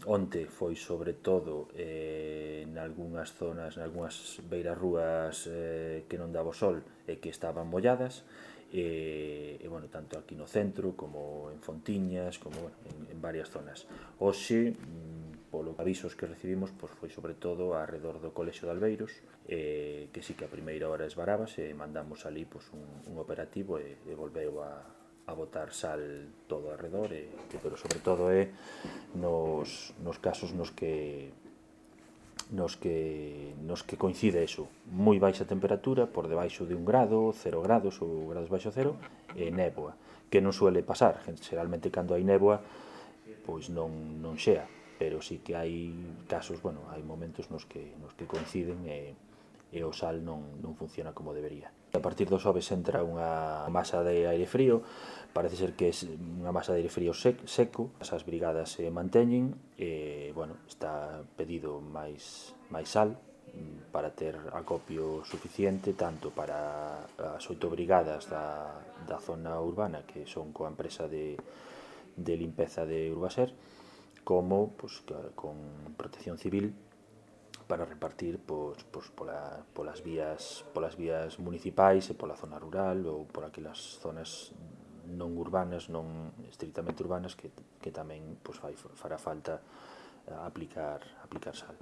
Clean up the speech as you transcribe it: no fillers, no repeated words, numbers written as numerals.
Onte foi sobre todo nalgúnas zonas, nalgúnas beirarrúas que non daba o sol e que estaban molladas, bueno, tanto aquí no centro como en Fontiñas, como bueno, en varias zonas. Hoxe, polo avisos que recibimos, pois foi sobre todo arredor do Colexio de Albeiros, que sí que a primeira hora esvarábase e mandamos ali pois, un operativo e volveu a botar sal todo arredor, pero sobre todo nos casos nos que coincide eso, moi baixa temperatura, por debaixo de 1 grado, 0 grados ou grados baixo cero, e néboa, que non suele pasar, xeralmente cando hai néboa, pois non xea, pero sí que hai casos, bueno, hai momentos nos que coinciden e o sal non funciona como debería. A partir do xoves entra unha masa de aire frío, parece ser que é unha masa de aire frío seco, as brigadas se manteñen e, bueno, está pedido máis sal para ter acopio suficiente tanto para as 8 brigadas da zona urbana que son coa empresa de limpeza de Urbaser como pues, con protección civil para repartir polas vías municipais e pola zona rural ou por aquelas zonas non urbanas, non estrictamente urbanas que tamén fará falta aplicar sal.